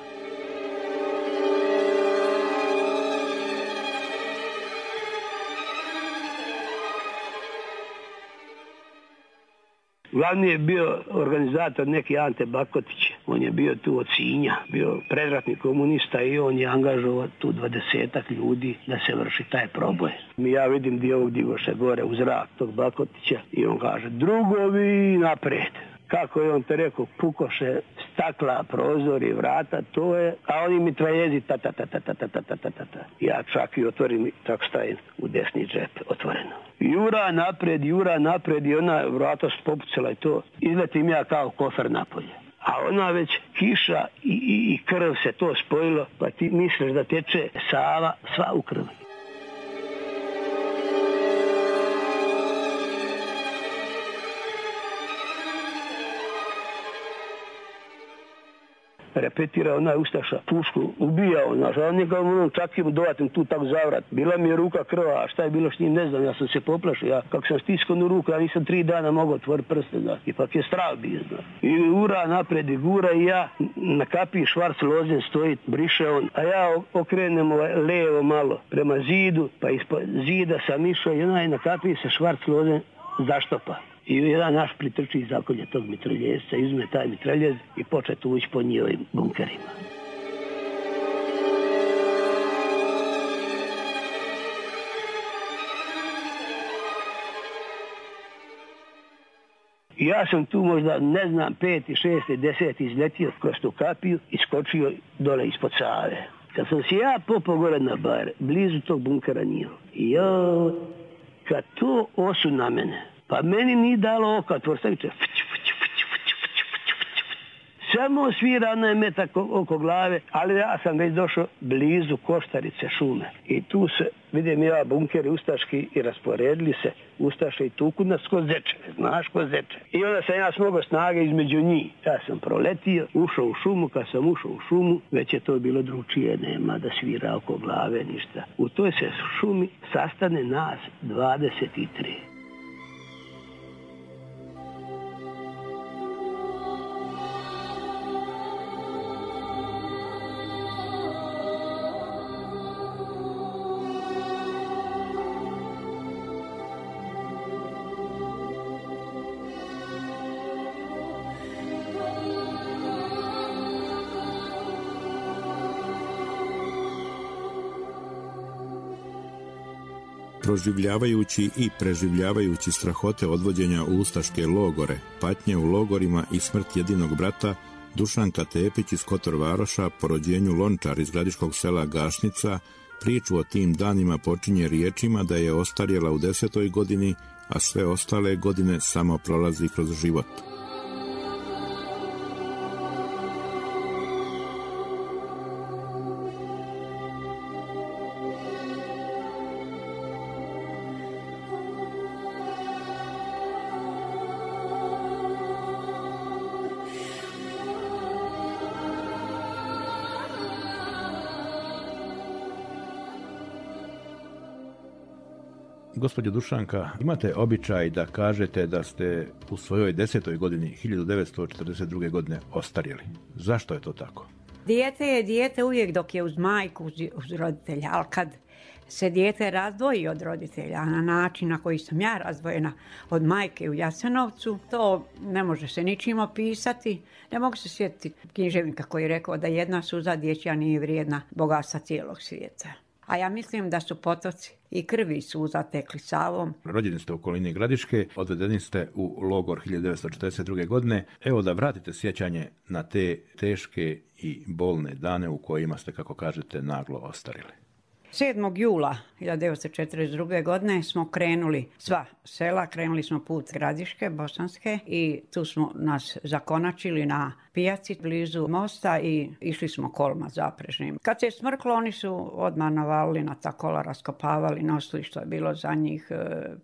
Glavni je bio organizator neki Ante Bakotić. On je bio tu od Sinja, bio predratni komunista i on je angažovao tu 20 ljudi da se vrši taj proboj. Ja vidim gdje ovog digoše gore u zrak tog Bakotića i on kaže, drugovi naprijed. Kako je on te rekao, pukoše stakla, prozori, vrata, to je, a oni mitraljezi, ta. Ja čak i otvorim i tako stavim u desni džep, otvoreno. Jura napred i ona vrata popucala i to. Izletim ja kao kofer napolje. A ona već kiša i krv se to spojilo, pa ti misliš da teče Sava sva u krvi. Repetira onaj ustaša, pušku, ubijao nas, a on njega čak im dovatim tu tak zavrat. Bila mi je ruka krva, a šta je bilo s njim, ne znam, ja sam se poplašio. Ja, kako sam stiskao ruku, ja nisam 3 dana mogao otvoriti prste, da. Ipak je strah bio, da. I ura napred i gura i ja na kapiji švarc lozen stoji, briše on, a ja okrenem levo malo prema zidu, pa ispod zida sam išao i onaj na kapiji se švarc lozen zaštopa. I jedan naš pritrči iz zakolja tog mitraljezca, izme taj mitraljez i počne tu ući po njihovim bunkerima. Ja sam tu možda, ne znam, 5., 6., 10. izletio kroz tu kapiju i skočio dole ispod Save. Kad sam se ja popao gore na bar, blizu tog bunkera njiho, kad to osu na mene, pa meni nije dalo oka, tvorstaviće, samo svira onaj metak oko glave, ali ja sam već došao blizu Koštarice šume. I tu se, vidim ja, bunkeri ustaški i rasporedili se ustaše i tuku nas ko zečeve, znaš ko zečeve. I onda sam ja smogao snage između njih. Ja sam proletio, ušao u šumu, kad sam ušao u šumu, već je to bilo drugčije, nema da svira oko glave, ništa. U toj se šumi sastane nas 23. Proživljavajući i preživljavajući strahote odvođenja u ustaške logore, patnje u logorima i smrt jedinog brata, Dušanka Tepić iz Kotor Varoša, po rođenju Lončar iz gradiškog sela Gašnica, priču o tim danima počinje riječima da je ostarjela u 10. godini, a sve ostale godine samo prolazi kroz život. Gospođo Dušanka, imate običaj da kažete da ste u svojoj 10. godini 1942. godine ostarjeli. Zašto je to tako? Dijete je dijete uvijek dok je uz majku, uz roditelja, ali kad se dijete razdvoji od roditelja na način na koji sam ja razdvojena od majke u Jasenovcu, to ne može se ničim opisati. Ne mogu se sjetiti književnika koji je rekao da jedna suza dječja nije vrijedna bogatstva cijelog svijeta. A ja mislim da su potoci i krvi i suza tekli Savom. Rođeni ste u okolini Gradiške, odvedeni ste u logor 1942. godine. Evo da vratite sjećanje na te teške i bolne dane u kojima ste, kako kažete, naglo ostarili. 7. jula 1942. godine smo krenuli sva sela, krenuli smo put Gradiške, Bosanske i tu smo nas zakonačili na pijaci blizu mosta i išli smo kolima zaprežnim. Kad se je smrklo, oni su odmah navalili na ta kola, raskopavali, nosili što je bilo za njih,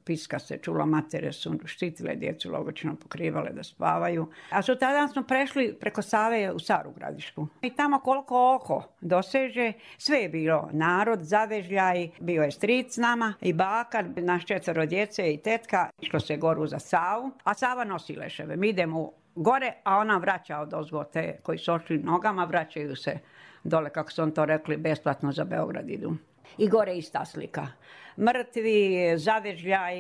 piska se čula, matere su štitile djecu, logično pokrivale da spavaju. A sutradan smo prešli preko Save u Staru Gradišku. I tamo koliko oko doseže, sve je bilo narod, zavežljaj, bio je stric s nama i baka, naš 4 djece i tetka, išlo se goru za Savu, a Sava nosi leševe. Mi idemo gore, a ona vraća odozgo te koji su ošli nogama, vraćaju se dole, kako su on to rekli, besplatno za Beograd idu. I gore ista slika. Mrtvi, zavežljaj,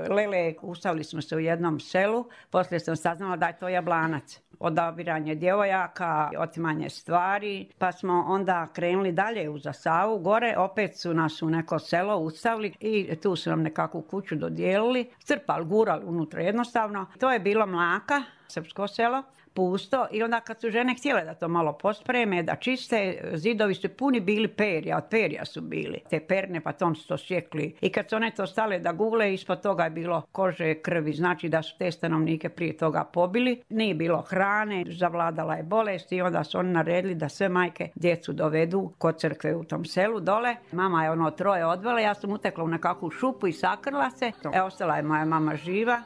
lele, ustavili smo se u jednom selu, poslije sam saznala da je to Jablanac. Odabiranje djevojaka, otimanje stvari, pa smo onda krenuli dalje uza Savu, gore, opet su nas u neko selo ustavili i tu su nam nekakvu kuću dodijelili, crpali, gurali unutra jednostavno. To je bilo Mlaka, srpsko selo, pusto i onda kad su žene htjele da to malo pospreme, da čiste, zidovi su puni bili perja, od perja su bili. Te perne pa tom su to sjekli. I kad su one to stale da gule, ispod toga je bilo kože, krvi, znači da su te stanovnike prije toga pobili. Nije bilo hrane, zavladala je bolest i onda su oni naredili da sve majke djecu dovedu kod crkve u tom selu dole. Mama je 3 odvela, ja sam utekla u nekakvu šupu i sakrila se. Ostala je moja mama živa.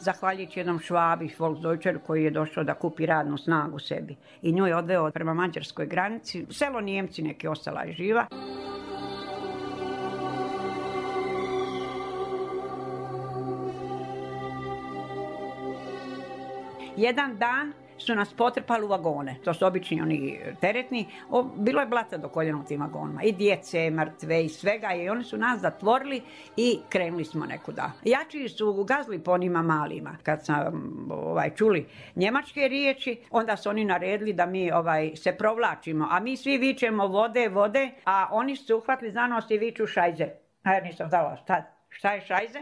Zahvaljujući jednom Švabi, Volksdeutscher, koji je došao da kupi radnu snagu sebi. I nju je odveo prema mađarskoj granici. Selo Nijemci neki, ostala je živa. Jedan dan su nas potrpali u vagone. To su obični oni teretni. Bilo je blata do koljena u tim vagonima. I djece, mrtve i svega. I oni su nas zatvorili i krenuli smo nekuda. Jači su gazili po onima malima. Kad sam čuli njemačke riječi, onda su oni naredili da mi se provlačimo. A mi svi vičemo vode, a oni su uhvatili za nos i viču šajze. A ja nisam znala šta je šajze,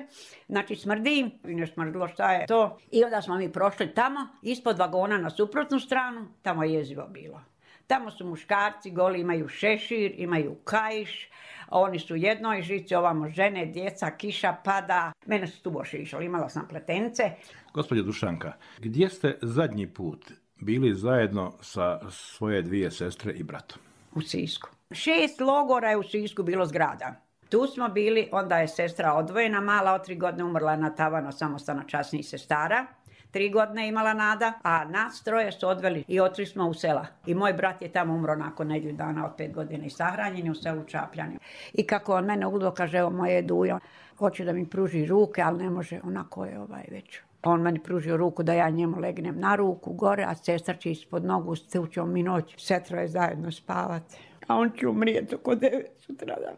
znači smrdi im i ne smrdilo šta je to. I onda smo mi prošli tamo, ispod vagona na suprotnu stranu, tamo je jezivo bilo. Tamo su muškarci goli, imaju šešir, imaju kaiš, oni su u jednoj žici, ovamo žene, djeca, kiša pada. Mene su tu boši išli, imala sam pletenice. Gospođo Dušanka, gdje ste zadnji put bili zajedno sa svoje 2 sestre i bratom? U Sisku. 6 logora je u Sisku bilo zgrada. Tu smo bili, onda je sestra odvojena, mala, od 3 godine umrla na tavano, samostana časnih sestara. 3 godine imala Nada, a nas 3 su odveli i otišli smo u sela. I moj brat je tamo umro nakon nedjelju dana od 5 godina i sahranjen je u selu Čapljani. I kako on mene ugledao, kaže, evo moje Dujo, hoće da mi pruži ruke, ali ne može, onako je već. On meni pružio ruku da ja njemu legnem na ruku gore, a sestra će ispod nogu, ćemo mi noć, sve 3 zajedno spavati. A on će umrijeti oko 9 sutradan.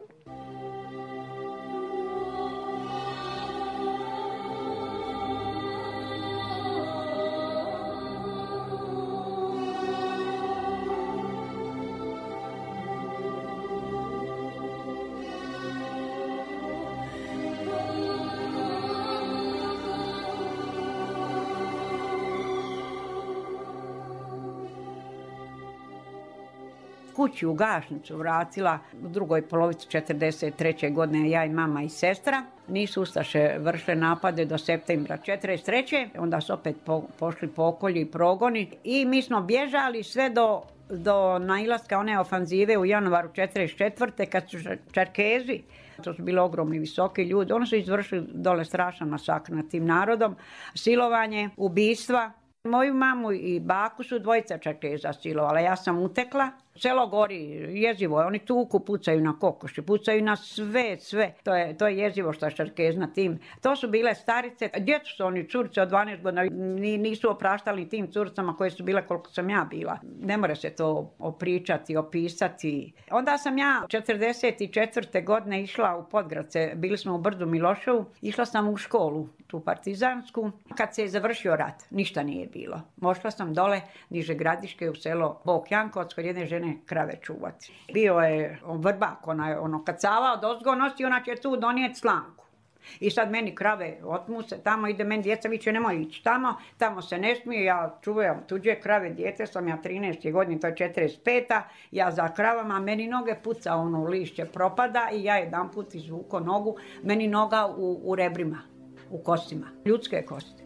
Kući u Gašnicu vratila u drugoj polovici 1943. godine, ja i mama i sestra. Nisu ustaše vršile napade do septembra 1943. Onda su opet pošli pokolji i progoni i mi smo bježali sve do nailaska one ofanzive u januaru 1944. kad su Čerkezi, to su bili ogromni visoki ljudi, oni su izvršili dole strašan masakr nad tim narodom, silovanje, ubistva. Moju mamu i baku su dvojica Čerkeza silovala, ja sam utekla. Selo gori, jezivo je, oni tuku, pucaju na kokoši, pucaju na sve. To je jezivo što je Čerkez na tim. To su bile starice, djecu su oni, curice od 12 godina, nisu opraštali tim curicama koje su bile koliko sam ja bila. Ne more se to opričati, opisati. Onda sam ja 44. godine išla u Podgradce, bili smo u Brdu Miloševu, išla sam u školu, tu partizansku. Kad se je završio rat, ništa nije bilo. Mošla sam dole, niže Gradiške u selo Bok Jankovac, kod jedne žene krave čuvati. Bio je vrbak, ono kacava od ozgo nosi, ona će tu donijeti slanku. I sad meni krave otmu se, tamo ide meni djeca, viće nemoj ići tamo se ne smije, ja čuvam tuđe krave, dijete sam ja 13. godine, to je 45. Ja za kravama, meni noge puca, ono lišće propada i ja jedan put izvuko nogu, meni noga u rebrima, u kostima, ljudske kosti.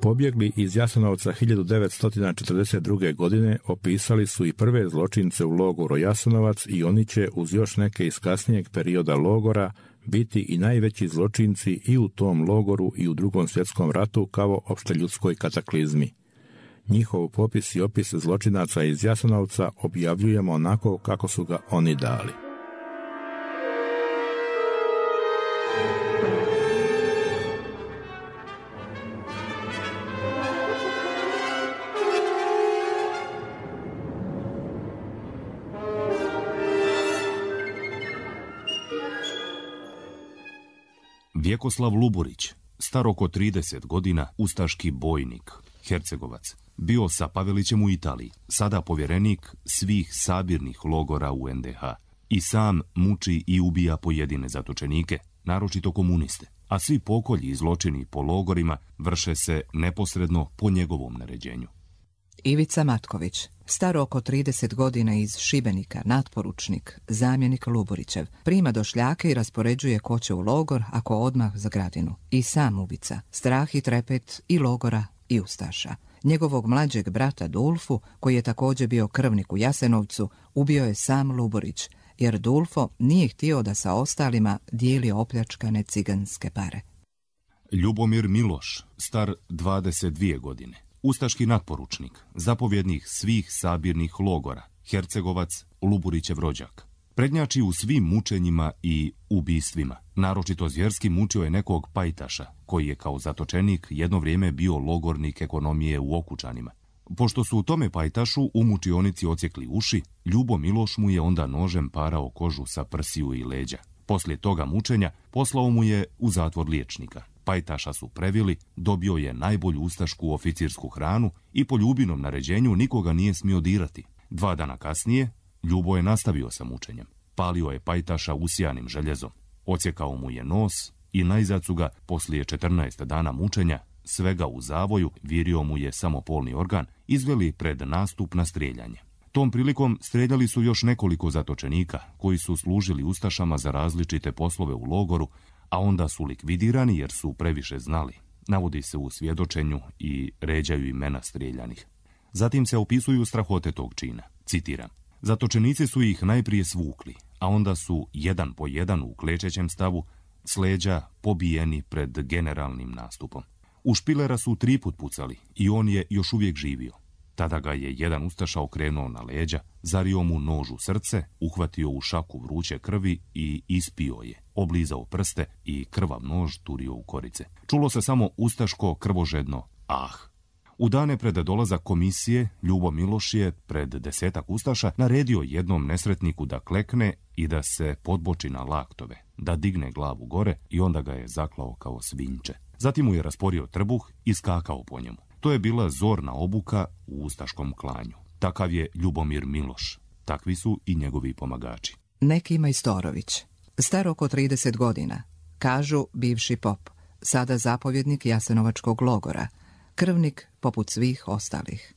Pobjegli iz Jasenovca 1942. godine opisali su i prve zločince u logoru Jasenovac i oni će uz još neke iz kasnijeg perioda logora biti i najveći zločinci i u tom logoru i u Drugom svjetskom ratu kao opšteljudskoj kataklizmi. Njihov popis i opis zločinaca iz Jasenovca objavljujemo onako kako su ga oni dali. Vjekoslav Luburić, star oko 30 godina, ustaški bojnik, Hercegovac, bio sa Pavelićem u Italiji, sada povjerenik svih sabirnih logora u NDH. I sam muči i ubija pojedine zatočenike, naročito komuniste, a svi pokolji i zločini po logorima vrše se neposredno po njegovom naređenju. Ivica Matković, star oko 30 godina iz Šibenika, natporučnik, zamjenik Luburićev, prima došljake i raspoređuje ko će u logor ako odmah za Gradinu. I sam ubica, strah i trepet i logora i ustaša. Njegovog mlađeg brata Dulfu, koji je također bio krvnik u Jasenovcu, ubio je sam Luburić, jer Dulfo nije htio da sa ostalima dijeli opljačkane ciganske pare. Ljubomir Miloš, star 22 godine, ustaški natporučnik, zapovjednik svih sabirnih logora, Hercegovac, Luburićev rođak. Prednjači u svim mučenjima i ubistvima. Naročito zvjerski mučio je nekog pajtaša, koji je kao zatočenik jedno vrijeme bio logornik ekonomije u Okučanima. Pošto su u tome pajtašu u mučionici odsjekli uši, Ljubo Miloš mu je onda nožem parao kožu sa prsiju i leđa. Poslije toga mučenja poslao mu je u zatvor liječnika. Pajtaša su previli, dobio je najbolju ustašku oficirsku hranu i po Ljubinom naređenju nikoga nije smio dirati. 2 dana kasnije Ljubo je nastavio sa mučenjem. Palio je pajtaša usijanim željezom. Odsjekao mu je nos i najzad su ga, poslije 14 dana mučenja, svega u zavoju, virio mu je samo polni organ, izveli pred nastup na strijeljanje. Tom prilikom strijeljali su još nekoliko zatočenika koji su služili ustašama za različite poslove u logoru, a onda su likvidirani jer su previše znali. Navodi se u svjedočenju i ređaju imena strijeljanih. Zatim se opisuju strahote tog čina. Citiram: zatočenici su ih najprije svukli, a onda su jedan po jedan u klečećem stavu s leđa pobijeni pred generalnim nastupom. U Špilera su 3 put pucali i on je još uvijek živio. Tada ga je jedan ustaša okrenuo na leđa, zario mu nož u srce, uhvatio u šaku vruće krvi i ispio je, oblizao prste i krvav nož turio u korice. Čulo se samo ustaško krvožedno ah. U dane pred dolazak komisije, Ljubo Miloš je pred 10 ustaša naredio jednom nesretniku da klekne i da se podboči na laktove, da digne glavu gore i onda ga je zaklao kao svinjče. Zatim mu je rasporio trbuh i skakao po njemu. To je bila zorna obuka u ustaškom klanju. Takav je Ljubomir Miloš. Takvi su i njegovi pomagači. Neki Majstorović, star oko 30 godina, kažu bivši pop, sada zapovjednik Jasenovačkog logora, krvnik poput svih ostalih.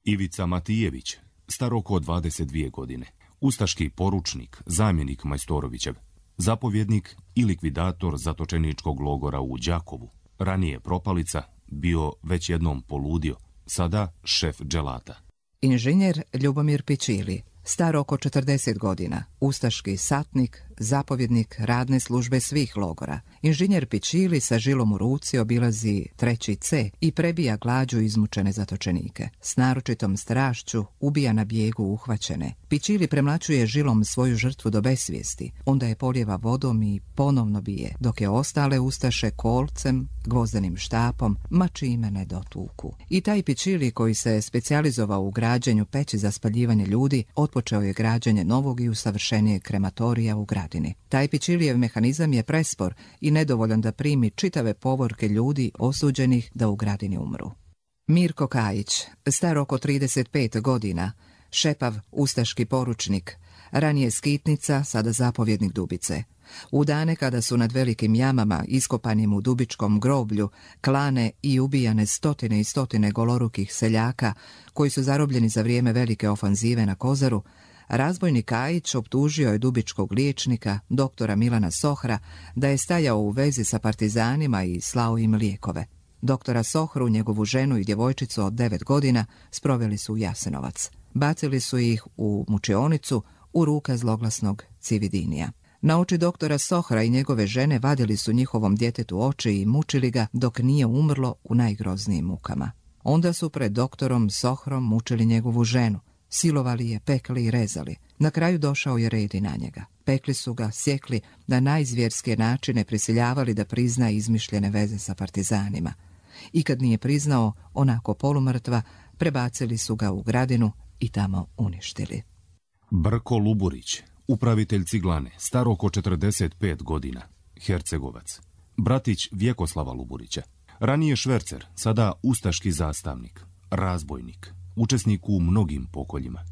Ivica Matijević, star oko 22 godine, ustaški poručnik, zamjenik Majstorovićev, zapovjednik i likvidator zatočeničkog logora u Đakovu, ranije propalica, bio već jednom poludio, sada šef dželata. Inženjer Ljubomir Pičili, star oko 40 godina, ustaški satnik, zapovjednik radne službe svih logora. Inženjer Pičili sa žilom u ruci obilazi 3. C i prebija glađu izmučene zatočenike. S naročitom strašću ubija na bijegu uhvaćene. Pičili premlaćuje žilom svoju žrtvu do besvijesti, onda je polijeva vodom i ponovno bije, dok je ostale ustaše kolcem, gvozdenim štapom, ma čime ne dotuku. I taj Pičili, koji se specijalizovao u građenju peći za spaljivanje ljudi, otpočeo je građenje novog i usavršenijeg krematorija u Gradini. Taj Pičilijev mehanizam je prespor i nedovoljan da primi čitave povorke ljudi osuđenih da u Gradini umru. Mirko Kajić, star oko 35 godina, šepav ustaški poručnik, ranije skitnica, sada zapovjednik Dubice. U dane kada su nad velikim jamama, iskopanim u Dubičkom groblju, klane i ubijane stotine i stotine golorukih seljaka koji su zarobljeni za vrijeme velike ofanzive na Kozaru, razbojnik Kajić optužio je dubičkog liječnika, doktora Milana Sohra, da je stajao u vezi sa partizanima i slao im lijekove. Doktora Sohru, njegovu ženu i djevojčicu od 9 godina sproveli su u Jasenovac. Bacili su ih u mučionicu u ruke zloglasnog Cividinija. Na oči doktora Sohra i njegove žene vadili su njihovom djetetu oči i mučili ga dok nije umrlo u najgroznijim mukama. Onda su pred doktorom Sohrom mučili njegovu ženu. Silovali je, pekli i rezali. Na kraju došao je red i na njega. Pekli su ga, sjekli, na najzvjerske načine prisiljavali da prizna izmišljene veze sa partizanima. I kad nije priznao, onako polumrtva, prebacili su ga u Gradinu i tamo uništili. Brko Luburić, upravitelj ciglane, star oko 45 godina, Hercegovac. Bratić Vjekoslava Luburića. Ranije švercer, sada ustaški zastavnik, razbojnik, učesnik u mnogim pokoljima.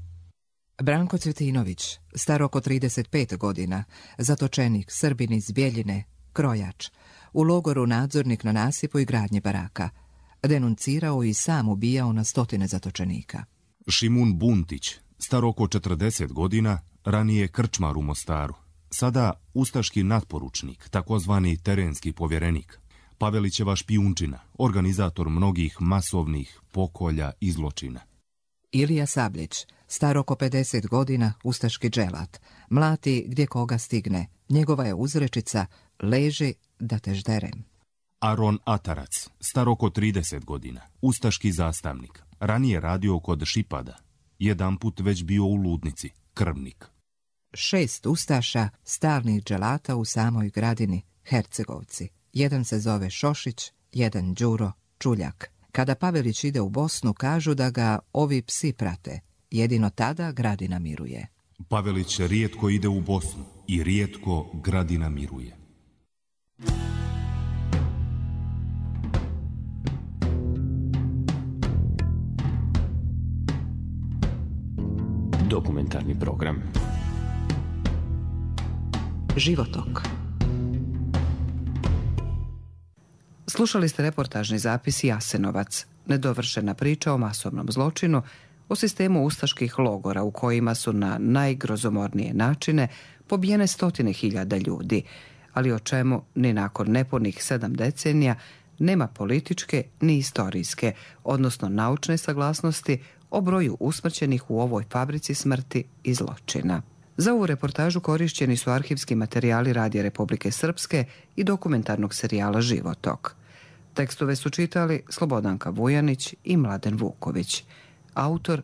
Branko Cvjetinović, star oko 35 godina, zatočenik, Srbin iz Bjeljine, krojač, u logoru nadzornik na nasipu i gradnji baraka. Denuncirao i sam ubijao na stotine zatočenika. Šimun Buntić, star oko 40 godina, ranije krčmar u Mostaru, sada ustaški natporučnik, takozvani terenski povjerenik. Pavelićeva špijunčina, organizator mnogih masovnih pokolja i zločina. Ilija Sabljić, star oko 50 godina, ustaški dželat, mlati gdje koga stigne. Njegova je uzrečica: leži da te žderem. Aron Atarac, star oko 30 godina, ustaški zastavnik, ranije radio kod Šipada, jedanput već bio u ludnici, krvnik. 6 ustaša, stalnih dželata u samoj Gradini, Hercegovci. Jedan se zove Šošić, jedan Đuro Čuljak. Kada Pavelić ide u Bosnu, kažu da ga ovi psi prate. Jedino tada Gradina miruje. Pavelić rijetko ide u Bosnu i rijetko Gradina miruje. Dokumentarni program. Životok. Slušali ste reportažni zapis Jasenovac, nedovršena priča o masovnom zločinu, o sistemu ustaških logora u kojima su na najgrozomornije načine pobijene stotine hiljada ljudi, ali o čemu ni nakon nepunih 7 decenija nema političke ni istorijske, odnosno naučne saglasnosti o broju usmrćenih u ovoj fabrici smrti i zločina. Za ovu reportažu korišćeni su arhivski materijali Radija Republike Srpske i dokumentarnog serijala Životok. Tekstove su čitali Slobodanka Vujanić i Mladen Vuković. Autor